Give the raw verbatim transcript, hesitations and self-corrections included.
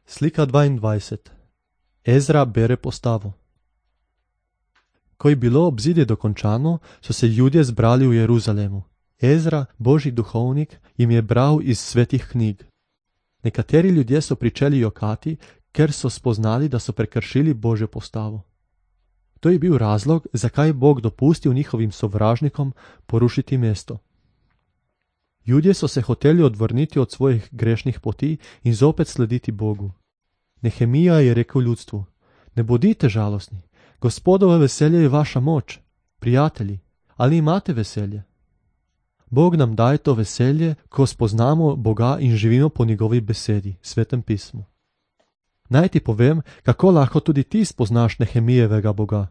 Slika dvaindvajset. Ezra bere postavo. Ko je bilo obzidje dokončano, so se Judje zbrali v Jeruzalemu. Ezra, božji duhovnik, jim je bral iz svetih knjig. Nekateri ljudje so pričeli jokati, ker so spoznali, da so prekršili Božjo postavo. To je bil razlog, zakaj je Bog dopustil njihovim sovražnikom porušiti mesto. Judje so se hoteli odvrniti od svojih grešnih poti in zopet slediti Bogu. Nehemija je rekel ljudstvu: ne bodite žalostni, Gospodovo veselje je vaša moč. Prijatelji, ali imate veselje? Bog nam daje to veselje, ko spoznamo Boga in živimo po njegovi besedi, svetem pismu. Naj ti povem, kako lahko tudi ti spoznaš Nehemijevega Boga.